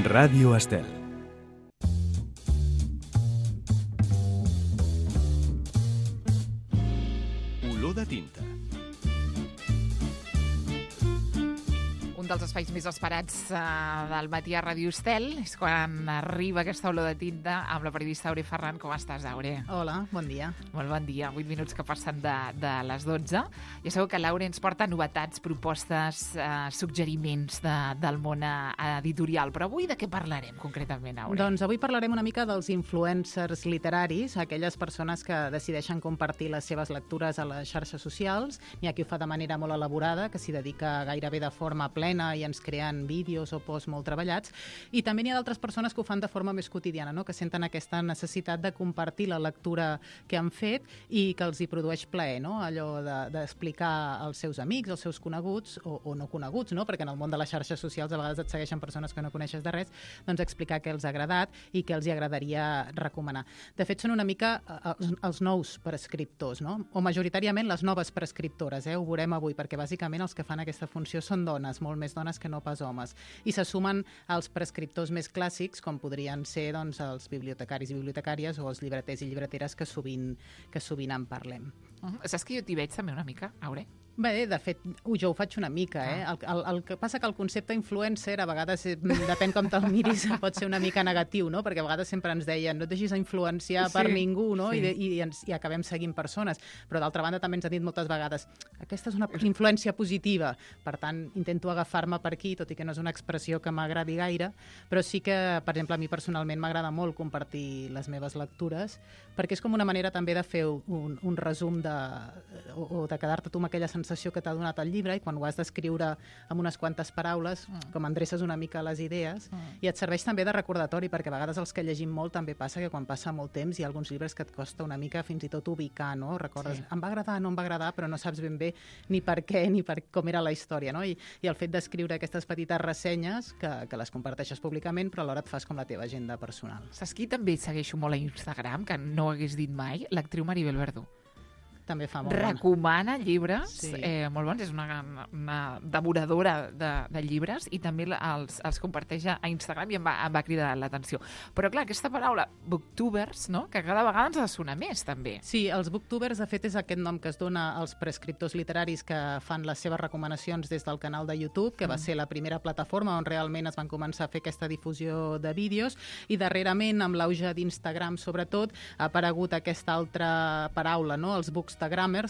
Ràdio Estel. Olor de tinta. Un dels espais més esperats del matí a Ràdio Estel és quan arriba aquesta olor de tinta amb la periodista Aure Ferran. Com estàs, Aure? Hola, bon dia. Molt bon dia. 8 minuts que passen de les 12. Ja sabeu que l'Aure ens porta novetats, propostes, suggeriments del món editorial. Però avui de què parlarem concretament, Aure? Doncs avui parlarem una mica dels influencers literaris, aquelles persones que decideixen compartir les seves lectures a les xarxes socials. N'hi ha qui ho fa de manera molt elaborada, que s'hi dedica gairebé de forma plena i ens creen vídeos o posts molt treballats, i també n'hi ha d'altres persones que ho fan de forma més quotidiana, no? Que senten aquesta necessitat de compartir la lectura que han fet i que els hi produeix plaer, no? Allò d'explicar als seus amics, als seus coneguts o no coneguts, no? Perquè en el món de les xarxes socials a vegades et segueixen persones que no coneixes de res, doncs explicar què els ha agradat i què els hi agradaria recomanar. De fet, són una mica els nous prescriptors, no? O majoritàriament les noves prescriptores, ho veurem avui, perquè bàsicament els que fan aquesta funció són dones, molt més dones que no pas homes. I se sumen als prescriptors més clàssics, com podrien ser doncs, els bibliotecaris i bibliotecàries o els llibreters i llibreteres que sovint en parlem. Saps que jo t'hi veig també una mica, Aure? Bé, de fet, jo ho faig una mica. El que passa que el concepte influencer a vegades, depèn com te'l miris, pot ser una mica negatiu, no? Perquè a vegades sempre ens deien no et deixis influenciar per ningú, no? Sí. I acabem seguint persones. Però d'altra banda també ens han dit moltes vegades aquesta és una influència positiva, per tant intento agafar-me per aquí, tot i que no és una expressió que m'agradi gaire, però sí que, per exemple, a mi personalment m'agrada molt compartir les meves lectures, perquè és com una manera també de fer un resum o de quedar-te tu amb aquella sensació que t'ha donat el llibre, i quan ho has d'escriure amb unes quantes paraules, com endreces una mica les idees, i et serveix també de recordatori, perquè a vegades els que llegim molt també passa que quan passa molt temps hi ha alguns llibres que et costa una mica fins i tot ubicar, no? Recordes, em va agradar, no em va agradar, però no saps ben bé ni per què ni per com era la història, no? I el fet d'escriure aquestes petites ressenyes que les comparteixes públicament, però alhora et fas com la teva agenda personal. Saps qui també segueixo molt a Instagram, que no ho hagués dit mai? L'actriu Maribel Verdú. També fa molt recomana llibres molt bons, és una devoradora de llibres, i també els comparteix a Instagram, i em va cridar l'atenció. Però clar, aquesta paraula booktubers, no? Que cada vegada ens ha de sonar més també. Sí, els booktubers de fet és aquest nom que es dona als prescriptors literaris que fan les seves recomanacions des del canal de YouTube, que va ser la primera plataforma on realment es van començar a fer aquesta difusió de vídeos, i darrerament, amb l'auge d'Instagram sobretot, ha aparegut aquesta altra paraula, no? Els bookstagrammers,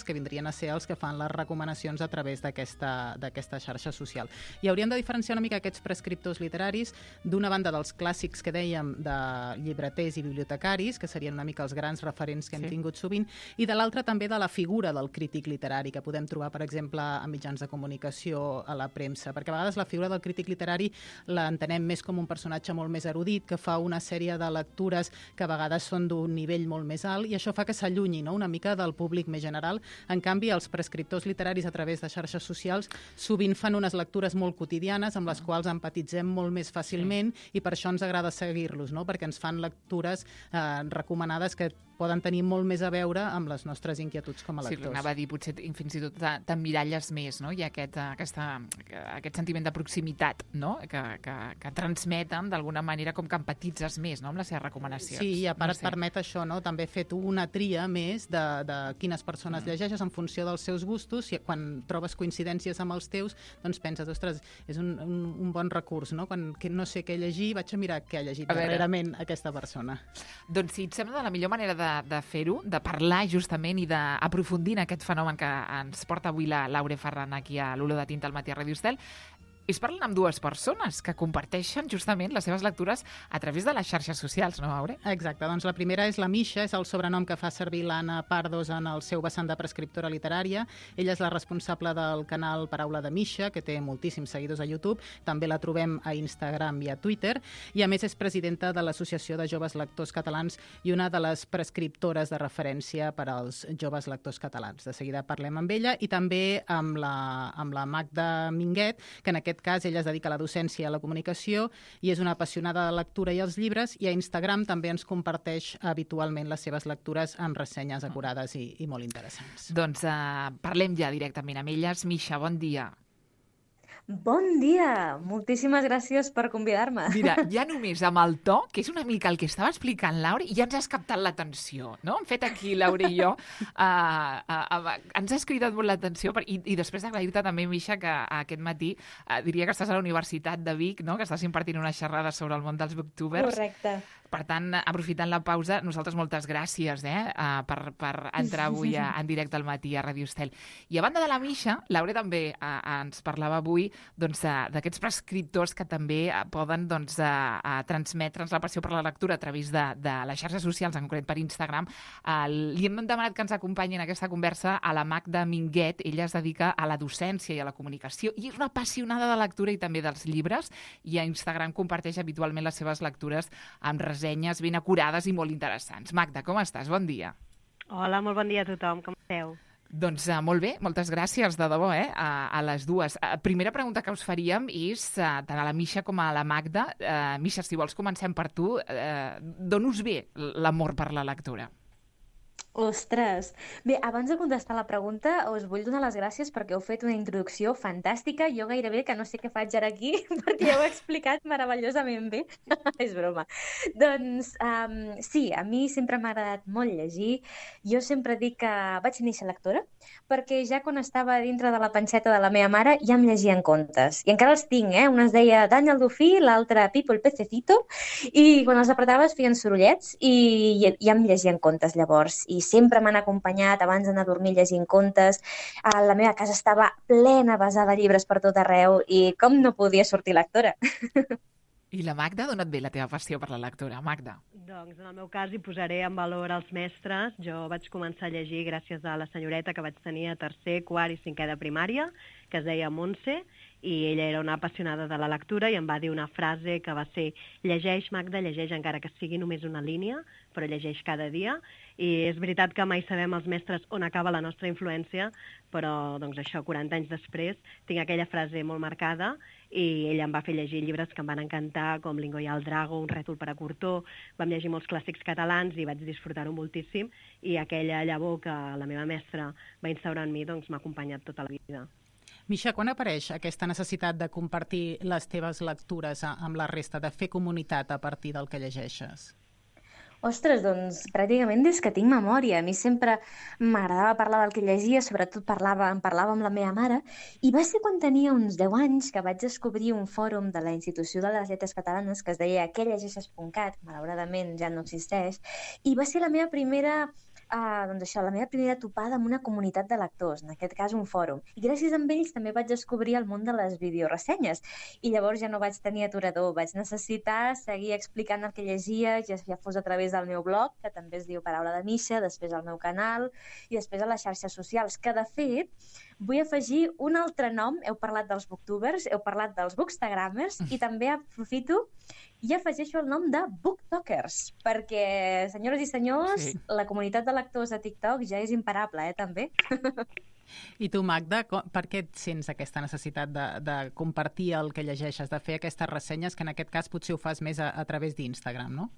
que vindrien a ser els que fan les recomanacions a través d'aquesta xarxa social. I hauríem de diferenciar una mica aquests prescriptors literaris, d'una banda dels clàssics que dèiem de llibreters i bibliotecaris, que serien una mica els grans referents que hem tingut sovint, i de l'altra també de la figura del crític literari, que podem trobar, per exemple, a mitjans de comunicació, a la premsa, perquè a vegades la figura del crític literari l'entenem més com un personatge molt més erudit, que fa una sèrie de lectures que a vegades són d'un nivell molt més alt, i això fa que s'allunyi, no?, una mica del públic més general. En canvi, els prescriptors literaris a través de xarxes socials sovint fan unes lectures molt quotidianes amb les quals empatitzem molt més fàcilment, i per això ens agrada seguir-los, no?, perquè ens fan lectures recomanades que poden tenir molt més a veure amb les nostres inquietuds com a lectors. Sí, anava a dir, potser fins i tot t'emmiralles més, no? Hi ha aquest sentiment de proximitat, no?, que transmeten d'alguna manera, com que empatitzes més, no?, amb les seves recomanacions. Sí, i a part et permet això, no?, també fer tu una tria més de quines persones llegeixes en funció dels seus gustos, i quan trobes coincidències amb els teus, doncs penses, ostres, és un bon recurs, no?, quan no sé què llegir, vaig a mirar què ha llegit darrerament aquesta persona. Doncs si et sembla, la millor manera de fer-ho, de parlar justament i d'aprofundir en aquest fenomen que ens porta avui l'Aure Ferran aquí a l'Olor de Tinta al matí a Ràdio Estel, és parlant amb dues persones que comparteixen justament les seves lectures a través de les xarxes socials, no, Aure? Exacte, doncs la primera és la Misha, és el sobrenom que fa servir l'Anna Pardos en el seu vessant de prescriptora literària. Ella és la responsable del canal Paraula de Misha, que té moltíssims seguidors a YouTube, també la trobem a Instagram i a Twitter, i a més és presidenta de l'Associació de Joves Lectors Catalans i una de les prescriptores de referència per als joves lectors catalans. De seguida parlem amb ella, i també amb la Magda Minguet, que en aquest cas ella es dedica a la docència i a la comunicació i és una apassionada de la lectura i els llibres, i a Instagram també ens comparteix habitualment les seves lectures amb ressenyes acurades i molt interessants. Doncs parlem ja directament amb elles. Misha, bon dia. Bon dia! Moltíssimes gràcies per convidar-me. Mira, ja només amb el to, que és una mica el que estava explicant Laura, ja ens has captat l'atenció, no? Hem fet aquí, Laura i jo, ens has cridat molt l'atenció i després d'agrair-te també, Misha, que aquest matí diria que estàs a la Universitat de Vic, no? Que estàs impartint una xerrada sobre el món dels booktubers. Correcte. Per tant, aprofitant la pausa, nosaltres moltes gràcies per entrar avui en directe al matí a Ràdio Estel. I a banda de la Misha, Laura també ens parlava avui d'aquests prescriptors que també poden transmetre'ns la passió per la lectura a través de les xarxes socials, en concret per Instagram. Li hem demanat que ens acompanyi en aquesta conversa a la Magda Minguet. Ella es dedica a la docència i a la comunicació i és una apassionada de lectura i també dels llibres, i a Instagram comparteix habitualment les seves lectures amb ressenyes ben acurades i molt interessants. Magda, com estàs? Bon dia. Hola, molt bon dia a tothom. Com esteu? Doncs molt bé, moltes gràcies, de debò, a les dues. Primera pregunta que us faríem és, tant a la Misha com a la Magda. Misha, si vols comencem per tu. D'on us ve l'amor per la lectura? Ostres! Bé, abans de contestar la pregunta, us vull donar les gràcies perquè heu fet una introducció fantàstica. Jo gairebé que no sé què faig ara aquí, perquè ja ho he explicat meravellosament bé. És broma. Doncs sí, a mi sempre m'ha agradat molt llegir. Jo sempre dic que vaig néixer lectora, perquè ja quan estava dintre de la panxeta de la meva mare ja em llegien contes. I encara els tinc, Un es deia Dani el Dofí, l'altre Pipo el Pececito, i quan els apretaves feien sorollets i ja em llegien contes llavors. I sempre m'han acompanyat abans d'anar a dormir llegint contes. La meva casa estava plena, basada de llibres per tot arreu i com no podia sortir lectora. I la Magda, d'on et ve la teva passió per la lectura, Magda? Doncs en el meu cas hi posaré en valor els mestres. Jo vaig començar a llegir gràcies a la senyoreta que vaig tenir a tercer, quart i cinquè de primària, que es deia Montse, i ella era una apassionada de la lectura i em va dir una frase que va ser: llegeix, Magda, llegeix encara que sigui només una línia, però llegeix cada dia. I és veritat que mai sabem els mestres on acaba la nostra influència, però doncs això, 40 anys després, tinc aquella frase molt marcada i ella em va fer llegir llibres que em van encantar, com Lingo i el Drago, Un rètol per a Cortó. Vam llegir molts clàssics catalans i vaig disfrutar-ho moltíssim, i aquella llavor que la meva mestra va instaurar en mi doncs m'ha acompanyat tota la vida. Misha, quan apareix aquesta necessitat de compartir les teves lectures amb la resta, de fer comunitat a partir del que llegeixes? Ostres, doncs pràcticament des que tinc memòria. A mi sempre m'agradava parlar del que llegia, sobretot em parlava amb la meva mare, i va ser quan tenia uns 10 anys que vaig descobrir un fòrum de la Institució de les Lletres Catalanes que es deia quellegeixes.cat, malauradament ja no existeix, i va ser la meva primera la meva primera topada amb una comunitat de lectors, en aquest cas un fòrum. I gràcies a ells també vaig descobrir el món de les videoressenyes. I llavors ja no vaig tenir aturador, vaig necessitar seguir explicant el que llegia, ja fos a través del meu blog, que també es diu Paraula de Misha, després al meu canal i després a les xarxes socials, que de fet vull afegir un altre nom. Heu parlat dels booktubers, heu parlat dels bookstagrammers i també aprofito i afegeixo el nom de booktokers, perquè, senyores i senyors, la comunitat de lectors a TikTok ja és imparable, també. I tu, Magda, per què et sents aquesta necessitat de compartir el que llegeixes, de fer aquestes ressenyes, que en aquest cas potser ho fas més a través d'Instagram, no?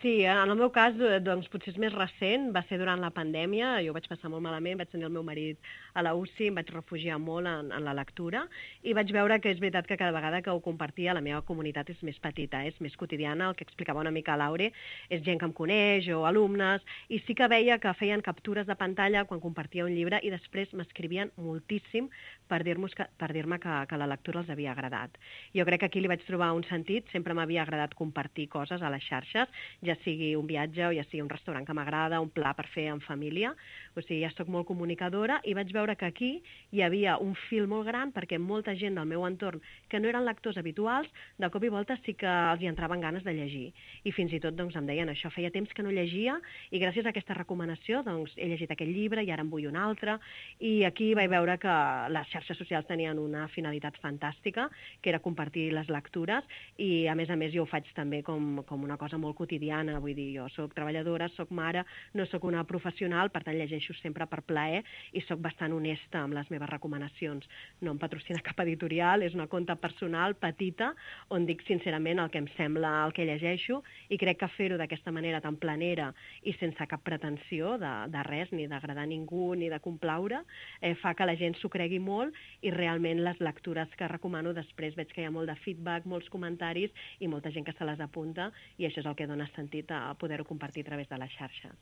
Sí, en el meu cas, doncs, potser és més recent, va ser durant la pandèmia, jo ho vaig passar molt malament, vaig tenir el meu marit a la UCI, em vaig refugiar molt en la lectura i vaig veure que és veritat que cada vegada que ho compartia la meva comunitat és més petita, és més quotidiana, el que explicava una mica Laure, és gent que em coneix o alumnes, i sí que veia que feien captures de pantalla quan compartia un llibre i després m'escrivien moltíssim per dir-me que la lectura els havia agradat. Jo crec que aquí li vaig trobar un sentit, sempre m'havia agradat compartir coses a les xarxes, ja sigui un viatge o ja sigui un restaurant que m'agrada, un pla per fer en família, o sigui, ja soc molt comunicadora i vaig veure que aquí hi havia un fil molt gran perquè molta gent del meu entorn que no eren lectors habituals, de cop i volta sí que els hi entraven ganes de llegir. I fins i tot doncs, em deien això, feia temps que no llegia i gràcies a aquesta recomanació doncs, he llegit aquest llibre i ara en vull un altre. I aquí vaig veure que les xarxes socials tenien una finalitat fantàstica, que era compartir les lectures, i a més jo ho faig també com una cosa molt quotidiana, quotidiana, vull dir, jo soc treballadora, soc mare, no soc una professional, per tant llegeixo sempre per plaer i soc bastant honesta amb les meves recomanacions. No em patrocina cap editorial, és una compte personal, petita, on dic sincerament el que em sembla el que llegeixo, i crec que fer-ho d'aquesta manera tan planera i sense cap pretensió de res, ni d'agradar a ningú ni de complaure, fa que la gent s'ho cregui molt, i realment les lectures que recomano després veig que hi ha molt de feedback, molts comentaris i molta gent que se les apunta, i això és el que dona sentit a poder-ho compartir a través de les xarxes.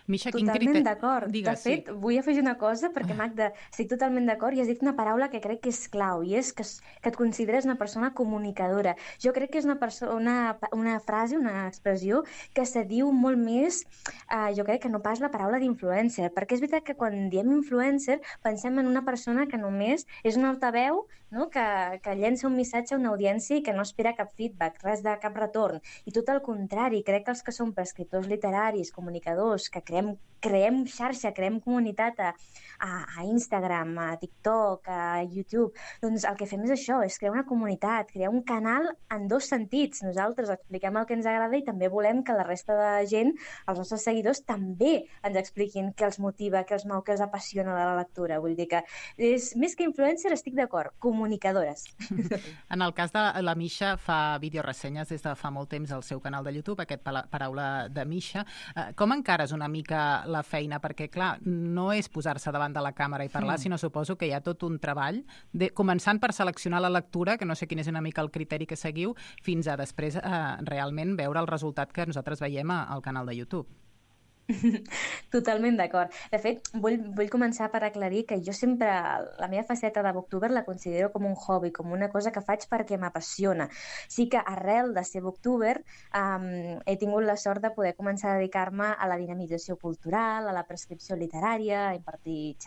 Misha, Totalment d'acord. De fet, vull afegir una cosa, perquè, Magda, estic totalment d'acord i has dit una paraula que crec que és clau, i és que et consideres una persona comunicadora. Jo crec que és una frase, una expressió que se diu molt més, jo crec que no pas la paraula d'influencer, perquè és veritat que quan diem influencer pensem en una persona que només és un altaveu, no? que llença un missatge a una audiència i que no espera cap feedback, res de cap retorn. I tot el contrari, crec que els que som prescriptors literaris, comunicadors, que creem xarxa, creem comunitat a Instagram, a TikTok, a YouTube, doncs el que fem és això, és crear una comunitat, crear un canal en dos sentits. Nosaltres expliquem el que ens agrada i també volem que la resta de gent, els nostres seguidors, també ens expliquin què els motiva, què els mou, què els apassiona de la lectura. Vull dir que és més que influencer, estic d'acord, comunicadores. En el cas de la Misha, fa videoressenyes des de fa molt temps al seu canal de YouTube, aquest Paraula de Misha. Com encares una mica la feina? Perquè, clar, no és posar-se davant de la càmera i parlar, sinó suposo que hi ha tot un treball, començant per seleccionar la lectura, que no sé quin és una mica el criteri que seguiu, fins a després realment veure el resultat que nosaltres veiem al canal de YouTube. Totalment d'acord. De fet, vull començar per aclarir que jo sempre, la meva faceta de booktuber la considero com un hobby, com una cosa que faig perquè m'apassiona. Sí que arrel de ser booktuber he tingut la sort de poder començar a dedicar-me a la dinamització cultural, a la prescripció literària, a impartir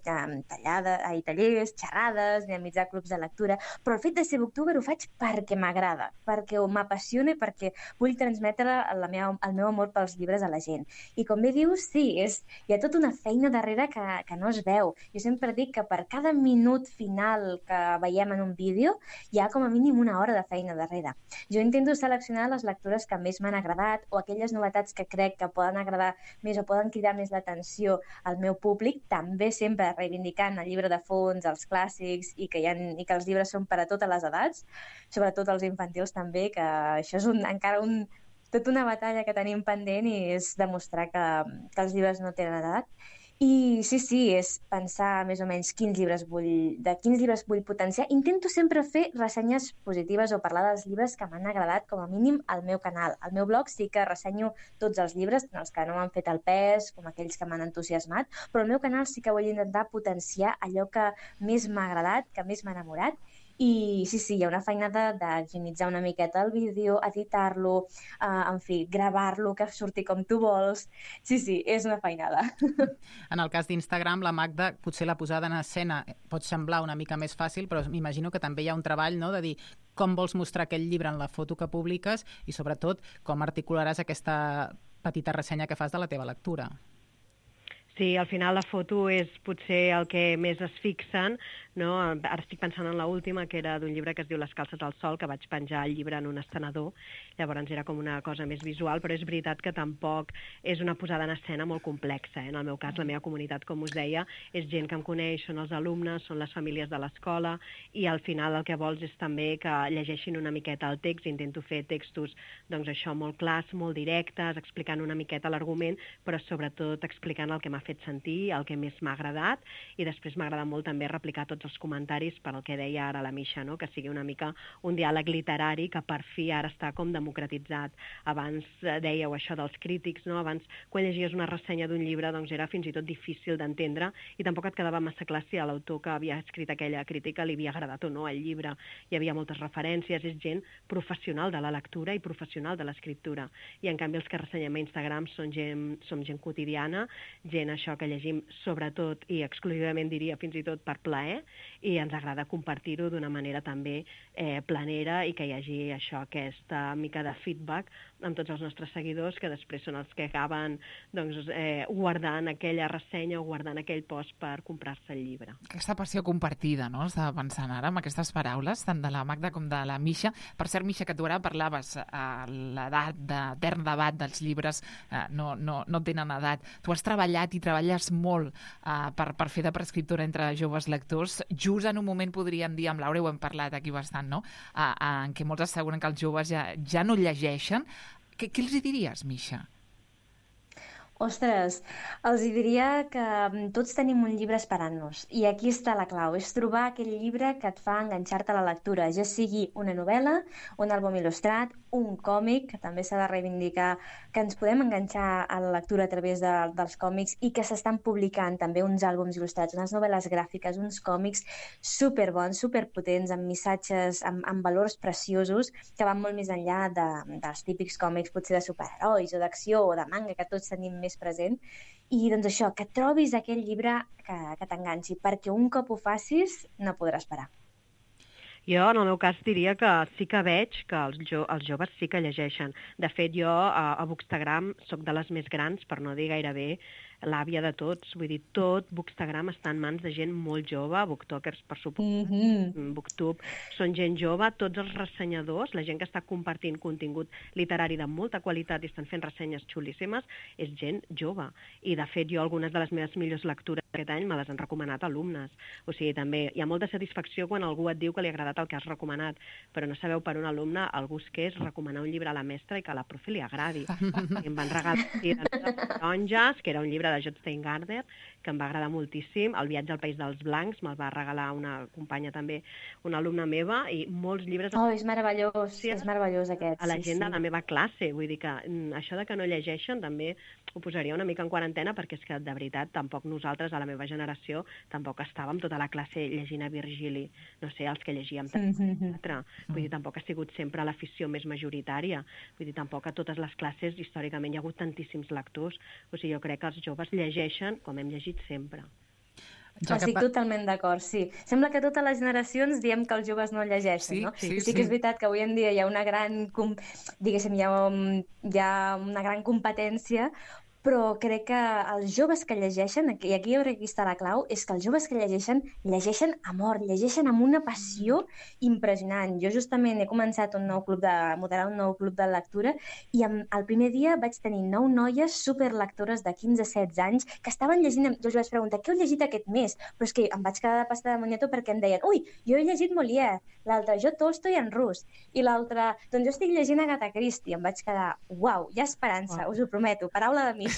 tallers, xerrades, dinamitzar clubs de lectura, però el fet de ser booktuber ho faig perquè m'agrada, perquè m'apassiona i perquè vull transmetre el meu amor pels llibres a la gent. I com bé dius, sí, hi ha tota una feina darrere que no es veu. Jo sempre dic que per cada minut final que veiem en un vídeo hi ha com a mínim una hora de feina darrere. Jo intento seleccionar les lectures que més m'han agradat o aquelles novetats que crec que poden agradar més o poden cridar més l'atenció al meu públic, també sempre reivindicant el llibre de fons, els clàssics i que els llibres són per a totes les edats, sobretot els infantils també, que això és tota una batalla que tenim pendent i és demostrar que els llibres no tenen edat. I sí, és pensar més o menys quins llibres vull potenciar. Intento sempre fer ressenyes positives o parlar dels llibres que m'han agradat com a mínim al meu canal. Al meu blog sí que ressenyo tots els llibres, tant els que no m'han fet el pes com aquells que m'han entusiasmat, però al meu canal sí que vull intentar potenciar allò que més m'ha agradat, que més m'ha enamorat. I sí, hi ha una feinada d'higienitzar una miqueta el vídeo, editar-lo, en fi, gravar-lo, que surti com tu vols. Sí, és una feinada. En el cas d'Instagram, la Magda, potser la posada en escena pot semblar una mica més fàcil, però m'imagino que també hi ha un treball, no?, de dir com vols mostrar aquell llibre en la foto que publiques i, sobretot, com articularàs aquesta petita ressenya que fas de la teva lectura. Sí, al final la foto és potser el que més es fixen, no? Ara estic pensant en l'última, que era d'un llibre que es diu Les calces al sol, que vaig penjar el llibre en un estenedor, llavors era com una cosa més visual, però és veritat que tampoc és una posada en escena molt complexa. En el meu cas, la meva comunitat, com us deia, és gent que em coneix, són els alumnes, són les famílies de l'escola, i al final el que vols és també que llegeixin una miqueta el text. Intento fer textos, doncs això, molt clars, molt directes, explicant una miqueta l'argument, però sobretot explicant el que m'ha fet sentir, el que més m'ha agradat, i després m'agrada molt també replicar tots els comentaris per al que deia ara la Misha, no? Que sigui una mica un diàleg literari que per fi ara està com democratitzat. Abans dèieu això dels crítics, no? Abans, quan llegies una ressenya d'un llibre, doncs era fins i tot difícil d'entendre i tampoc et quedava massa clar si a l'autor que havia escrit aquella crítica li havia agradat o no el llibre. Hi havia moltes referències, és gent professional de la lectura i professional de l'escriptura. I en canvi els que ressenyem a Instagram som gent quotidiana, gent això que llegim sobretot i exclusivament diria fins i tot per plaer, i ens agrada compartir-ho d'una manera també planera i que hi hagi això, aquesta mica de feedback amb tots els nostres seguidors, que després són els que acaben guardant aquella ressenya o guardant aquell post per comprar-se el llibre. Aquesta passió compartida, no? Estava pensant ara amb aquestes paraules, tant de la Magda com de la Misha. Per cert, Misha, que tu ara parlaves, l'edat d'etern debat dels llibres no tenen edat. Tu has treballat i treballes molt per fer de prescriptora entre joves lectors, just en un moment, podríem dir, amb Laura ho hem parlat aquí bastant, no? En què molts asseguren que els joves ja no llegeixen. Què els hi diries, Misha? Ostres, els diria que tots tenim un llibre esperant-nos i aquí està la clau, és trobar aquell llibre que et fa enganxar-te a la lectura, ja sigui una novel·la, un àlbum il·lustrat, un còmic, que també s'ha de reivindicar que ens podem enganxar a la lectura a través dels còmics i que s'estan publicant també uns àlbums il·lustrats, unes novel·les gràfiques, uns còmics superbons, superpotents, amb missatges, amb valors preciosos que van molt més enllà dels típics còmics potser de superherois o d'acció o de manga que tots tenim més present, i doncs això, que trobis aquell llibre que t'enganxi, perquè un cop ho facis no podràs parar. Jo, en el meu cas, diria que sí que veig que els joves sí que llegeixen. De fet, jo a Bookstagram soc de les més grans, per no dir gairebé l'àvia de tots. Vull dir, tot Bookstagram està en mans de gent molt jove, booktokers, per suposat, booktube, són gent jove, tots els ressenyadors, la gent que està compartint contingut literari de molta qualitat i estan fent ressenyes xulíssimes, és gent jove. I, de fet, jo algunes de les meves millors lectures aquest any me les han recomanat alumnes. O sigui, també hi ha molta satisfacció quan algú et diu que li ha agradat el que has recomanat, però no sabeu per un alumne el gust que és recomanar un llibre a la mestra i que a la profe li agradi. I em van regalar Taronges, que era un llibre de J. Steingarder, que em va agradar moltíssim. El viatge al País dels Blancs me'l va regalar una companya també, una alumna meva, i molts llibres... Oh, és meravellós, és meravellós aquest. A la gent de la meva classe, vull dir que això de que no llegeixen també ho posaria una mica en quarantena, perquè és que, de veritat, tampoc nosaltres, a la meva generació, tampoc estàvem tota la classe llegint a Virgili, no sé, els que llegíem teatre. Vull dir, tampoc ha sigut sempre l'afició més majoritària. Vull dir, tampoc a totes les classes, històricament, hi ha hagut tantíssims lectors. O sigui, jo crec que els joves llegeixen com hem llegit sempre. Estic totalment d'acord, sí. Sembla que totes les generacions diem que els joves no llegeixen, no? Sí que és veritat que avui en dia hi ha una gran, diguéssim, hi ha una gran competència, però crec que els joves que llegeixen, i aquí jo crec que està la clau, és que els joves que llegeixen a mort, llegeixen amb una passió impressionant. Jo justament he començat moderar un nou club de lectura i el primer dia vaig tenir 9 noies superlectores de 15-16 anys que estaven llegint, jo els vaig preguntar què heu llegit aquest mes? Però és que em vaig quedar de pasta de moniato perquè em deien ui, jo he llegit Molière, l'altre jo Tolstoi en rus, i l'altre, doncs jo estic llegint Agatha Christie. Em vaig quedar, uau, hi ha esperança, us ho prometo, paraula de Misha.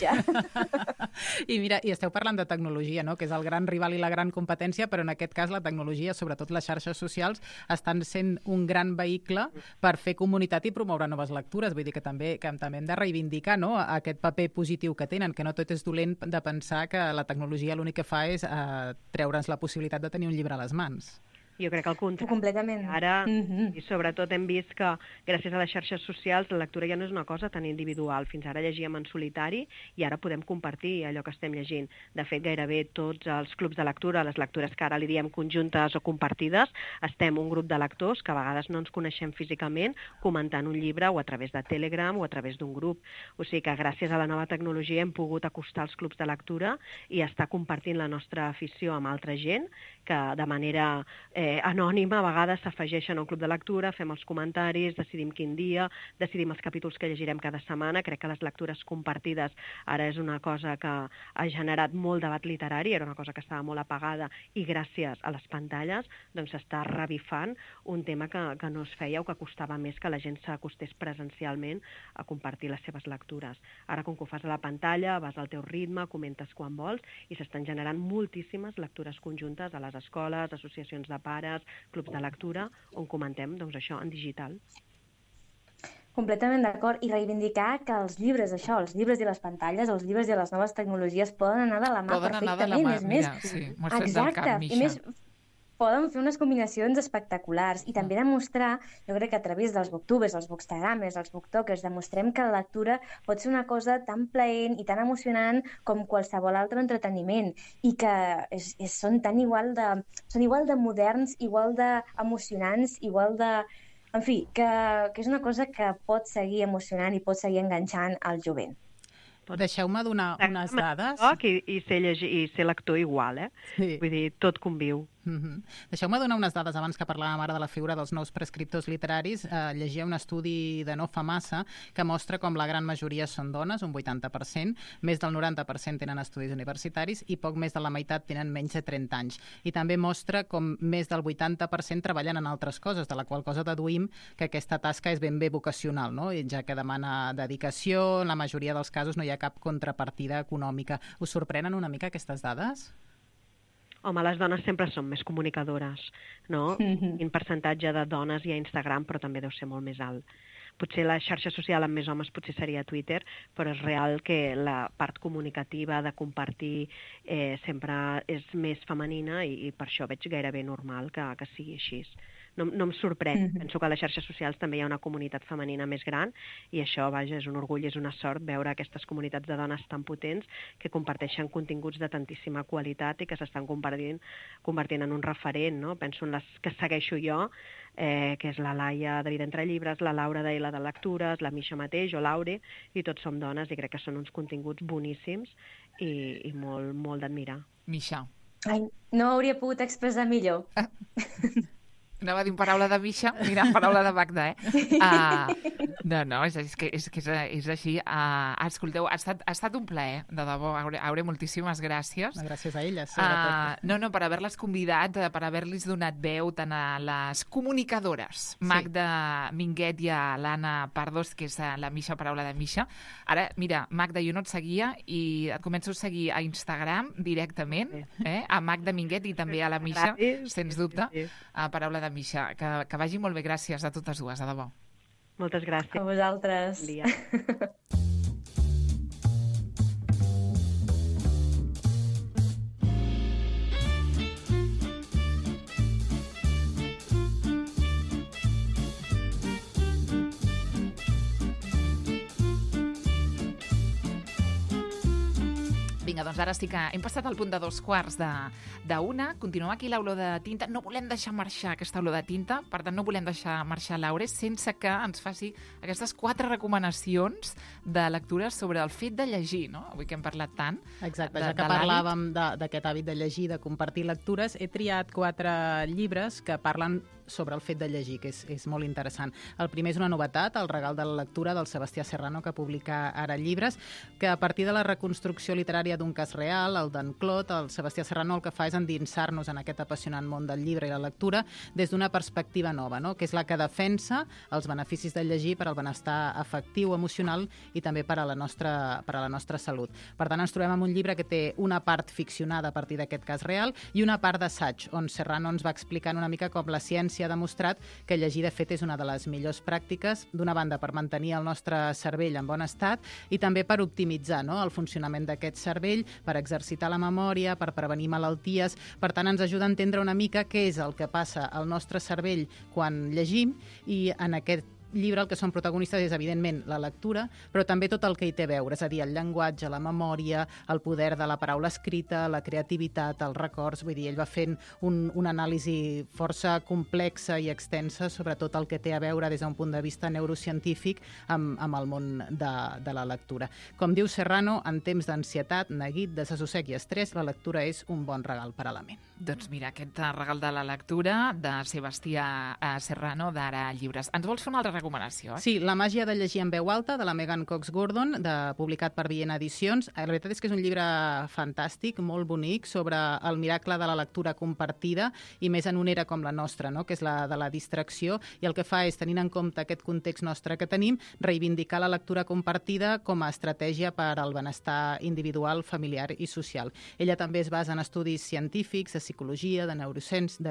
I mira, i esteu parlant de tecnologia, no? Que és el gran rival i la gran competència, però en aquest cas la tecnologia, sobretot les xarxes socials, estan sent un gran vehicle per fer comunitat i promoure noves lectures. Vull dir que també hem de reivindicar, no?, aquest paper positiu que tenen, que no tot és dolent de pensar que la tecnologia l'únic que fa és treure'ns la possibilitat de tenir un llibre a les mans. Jo crec que al contrari. Completament. Ara, i sobretot hem vist que gràcies a les xarxes socials la lectura ja no és una cosa tan individual. Fins ara llegíem en solitari i ara podem compartir allò que estem llegint. De fet, gairebé tots els clubs de lectura, les lectures que ara li diem conjuntes o compartides, estem un grup de lectors que a vegades no ens coneixem físicament comentant un llibre o a través de Telegram o a través d'un grup. O sigui que gràcies a la nova tecnologia hem pogut acostar els clubs de lectura i estar compartint la nostra afició amb altra gent que de manera anònima a vegades s'afegeixen a un club de lectura, fem els comentaris, decidim quin dia, decidim els capítols que llegirem cada setmana. Crec que les lectures compartides ara és una cosa que ha generat molt debat literari, era una cosa que estava molt apagada i gràcies a les pantalles doncs s'està revifant un tema que no es feia o que costava més que la gent s'acostés presencialment a compartir les seves lectures. Ara, com que ho fas a la pantalla, vas al teu ritme, comentes quan vols i s'estan generant moltíssimes lectures conjuntes a les escoles, associacions de pares, clubs de lectura, on comentem doncs, això en digital. Completament d'acord, i reivindicar que els llibres, els llibres i les pantalles, els llibres i les noves tecnologies poden anar de la mà perfectament. Mira, sí, m'ho has fet del cap, Misha. poden fer unes combinacions espectaculars i també demostrar, jo crec que a través dels booktubers, els bookstagramers, els booktokers, demostrem que la lectura pot ser una cosa tan plaent i tan emocionant com qualsevol altre entreteniment i que són igual de moderns, igual de emocionants, igual de... En fi, que és una cosa que pot seguir emocionant i pot seguir enganxant al jovent. Deixeu-me donar unes dades. I ser lector igual, Sí. Vull dir, tot conviu. Deixeu-me donar unes dades abans que parlàvem ara de la figura dels nous prescriptors literaris. Llegia un estudi de no fa massa que mostra com la gran majoria són dones, un 80%, més del 90% tenen estudis universitaris i poc més de la meitat tenen menys de 30 anys. I també mostra com més del 80% treballen en altres coses, de la qual cosa deduïm que aquesta tasca és ben bé vocacional, no? I ja que demana dedicació, en la majoria dels casos no hi ha cap contrapartida econòmica. Us sorprenen una mica aquestes dades? Home, les dones sempre són més comunicadores, no? Quin percentatge de dones hi ha a Instagram, però també deu ser molt més alt. Potser la xarxa social amb més homes potser seria Twitter, però és real que la part comunicativa de compartir sempre és més femenina i per això veig gairebé normal que sigui així. No em sorprèn. Penso que a les xarxes socials també hi ha una comunitat femenina més gran i això, vaja, és un orgull, és una sort veure aquestes comunitats de dones tan potents que comparteixen continguts de tantíssima qualitat i que s'estan convertint en un referent, no? Penso en les que segueixo jo, que és la Laia de Vida entre llibres, la Laura de la de lectures, la Misha mateix o l'Aure, i tots som dones i crec que són uns continguts boníssims i molt, molt d'admirar. Misha. Ai, no ho hauria pogut expressar millor. Anava a dir paraula de Misha, mira, paraula de Magda, No, és que és així. Escolteu, ha estat un plaer, de debò. Aure, moltíssimes gràcies. Gràcies a elles, sobretot. No, per haver-les convidat, per haver-los donat veu tant a les comunicadores, Magda Minguet i a l'Anna Pardos, que és la Misha, paraula de Misha. Ara, mira, Magda, jo no et seguia i et començo a seguir a Instagram directament, a Magda Minguet i també a la Misha, sens dubte, a paraula de Misha. Que vagi molt bé, gràcies a totes dues, de debò. Moltes gràcies. A vosaltres. Bon dia. Vinga, doncs ara sí que hem passat al punt de 2:15 Continuem aquí l'olor de tinta. No volem deixar marxar aquesta olor de tinta, per tant no volem deixar marxar l'Aure sense que ens faci aquestes 4 recomanacions de lectures sobre el fet de llegir, no? Avui que hem parlat tant. Exacte, ja que parlàvem d'aquest hàbit de llegir, de compartir lectures, he triat 4 llibres que parlen sobre el fet de llegir, que és molt interessant. El primer és una novetat, El regal de la lectura, del Sebastià Serrano, que publica ara llibres, que a partir de la reconstrucció literària d'un cas real, el d'en Clot, el Sebastià Serrano el que fa és endinsar-nos en aquest apassionant món del llibre i la lectura des d'una perspectiva nova, no? Que és la que defensa els beneficis de llegir per al benestar afectiu, emocional i també per a la nostra salut. Per tant, ens trobem amb un llibre que té una part ficcionada a partir d'aquest cas real i una part d'assaig, on Serrano ens va explicant una mica com la ciència ha demostrat que llegir, de fet, és una de les millors pràctiques, d'una banda per mantenir el nostre cervell en bon estat i també per optimitzar, no?, el funcionament d'aquest cervell, per exercitar la memòria, per prevenir malalties. Per tant, ens ajuda a entendre una mica què és el que passa al nostre cervell quan llegim, i en aquest llibre el que són protagonistes és, evidentment, la lectura, però també tot el que hi té a veure, és a dir, el llenguatge, la memòria, el poder de la paraula escrita, la creativitat, els records. Vull dir, ell va fent una anàlisi força complexa i extensa sobre tot el que té a veure des d'un punt de vista neurocientífic amb el món de la lectura. Com diu Serrano, en temps d'ansietat, neguit, desassossec i estrès, la lectura és un bon regal per a la ment. Doncs mira, aquest regal de la lectura de Sebastià Serrano, d'Ara Llibres. Ens vols fer una altra recomanació? Sí, La màgia de llegir en veu alta, de la Megan Cox Gordon, publicat per Viena Edicions. La veritat és que és un llibre fantàstic, molt bonic, sobre el miracle de la lectura compartida, i més en una era com la nostra, no?, que és la de la distracció, i el que fa és, tenint en compte aquest context nostre que tenim, reivindicar la lectura compartida com a estratègia per al benestar individual, familiar i social. Ella també es basa en estudis científics, de psicologia, de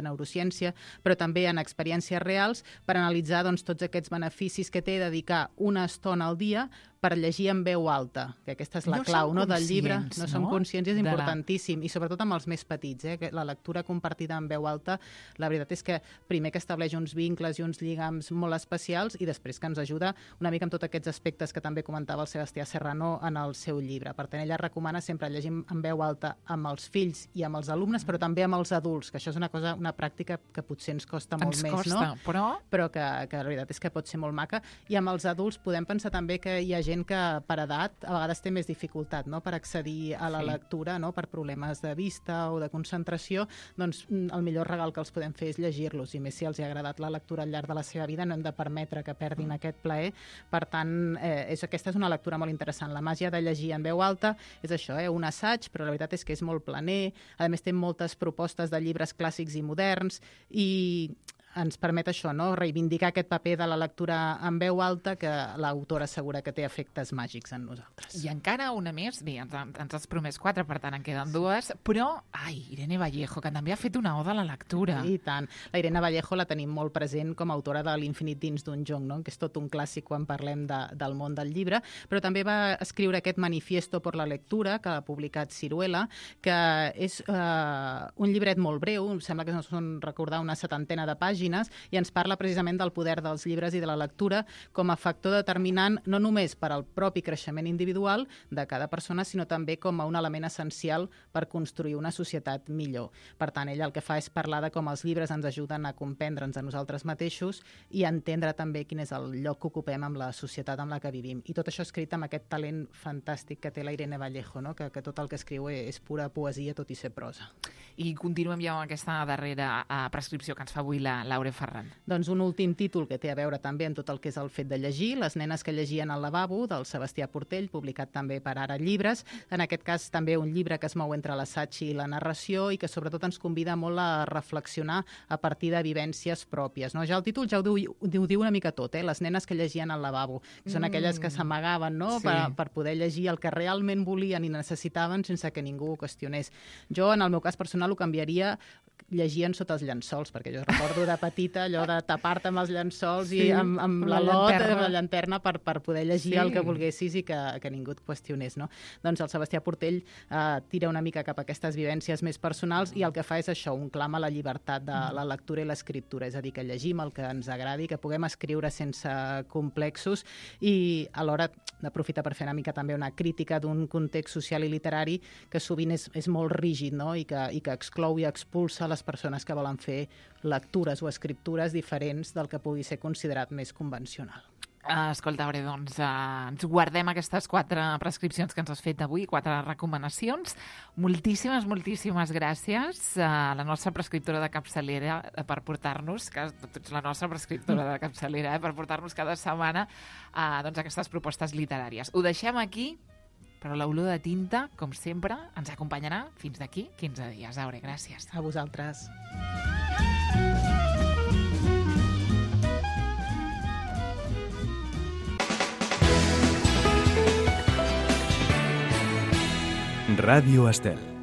neurociència, però també en experiències reals per analitzar, doncs, tots aquests beneficis que té dedicar una estona al dia per llegir en veu alta, que aquesta és la clau del llibre. No som conscients, és importantíssim, i sobretot amb els més petits, que la lectura compartida en veu alta, la veritat és que primer que estableix uns vincles i uns lligams molt especials i després que ens ajuda una mica amb tots aquests aspectes que també comentava el Sebastià Serrano en el seu llibre. Per tant, ella recomana sempre llegir en veu alta amb els fills i amb els alumnes, però també amb els adults, que això és una pràctica que potser ens costa molt més, no? Però que la veritat és que pot ser molt maca. I amb els adults podem pensar també que hi ha gent que per edat a vegades té més dificultat, no?, per accedir a la lectura, no?, per problemes de vista o de concentració, doncs el millor regal que els podem fer és llegir-los, i més si els ha agradat la lectura al llarg de la seva vida, no hem de permetre que perdin aquest plaer. Per tant, aquesta és una lectura molt interessant. La màgia de llegir en veu alta és això, un assaig, però la veritat és que és molt planer, a més té moltes propostes de llibres clàssics i moderns, i ens permet això, no?, reivindicar aquest paper de la lectura en veu alta, que l'autora assegura que té efectes màgics en nosaltres. I encara una més, bé, ens has promès 4, per tant en queden 2, però, Irene Vallejo, que també ha fet una oda a la lectura. I tant. La Irene Vallejo la tenim molt present com a autora de L'Infinit dins d'un jonc, no?, que és tot un clàssic quan parlem del món del llibre, però també va escriure aquest Manifiesto por la lectura, que ha publicat Siruela, que és un llibret molt breu, em sembla que són, recordar, una 70 de pàgines, i ens parla precisament del poder dels llibres i de la lectura com a factor determinant no només per al propi creixement individual de cada persona, sinó també com a un element essencial per construir una societat millor. Per tant, ella el que fa és parlar de com els llibres ens ajuden a comprendre'ns a nosaltres mateixos i a entendre també quin és el lloc que ocupem amb la societat en la que vivim. I tot això escrit amb aquest talent fantàstic que té la Irene Vallejo, no?, que tot el que escriu és pura poesia, tot i ser prosa. I continuem ja amb aquesta darrera prescripció que ens fa avui la Laure Ferran. Doncs un últim títol que té a veure també amb tot el que és el fet de llegir, Les nenes que llegien al lavabo, del Sebastià Portell, publicat també per Ara Llibres. En aquest cas també un llibre que es mou entre l'assaig i la narració i que sobretot ens convida molt a reflexionar a partir de vivències pròpies, no? Ja el títol ja ho diu una mica tot, Les nenes que llegien al lavabo, que són aquelles que s'amagaven, no?, per poder llegir el que realment volien i necessitaven sense que ningú ho qüestionés. Jo, en el meu cas personal, ho canviaria llegien sota els llençols, perquè jo recordo de petita allò de tapar-te amb els llençols i amb la llanterna per poder llegir el que volguessis i que ningú et qüestionés, no? Doncs el Sebastià Portell tira una mica cap a aquestes vivències més personals i el que fa és això, un clam a la llibertat de la lectura i l'escriptura, és a dir, que llegim el que ens agradi, que puguem escriure sense complexos i alhora d'aprofitar per fer una mica també una crítica d'un context social i literari que sovint és molt rígid, no?, i que exclou i expulsa les persones que volen fer lectures o escriptures diferents del que pugui ser considerat més convencional. Escolta, Aure, doncs ens guardem aquestes 4 prescripcions que ens has fet avui, 4 recomanacions. Moltíssimes, moltíssimes gràcies a la nostra prescriptora de capçalera per portar-nos, que tu ets la nostra prescriptora de capçalera, per portar-nos cada setmana doncs, aquestes propostes literàries. Ho deixem aquí, però l'olor de tinta, com sempre, ens acompanyarà fins d'aquí 15 dies. Aure, gràcies. A vosaltres. Radio Estel.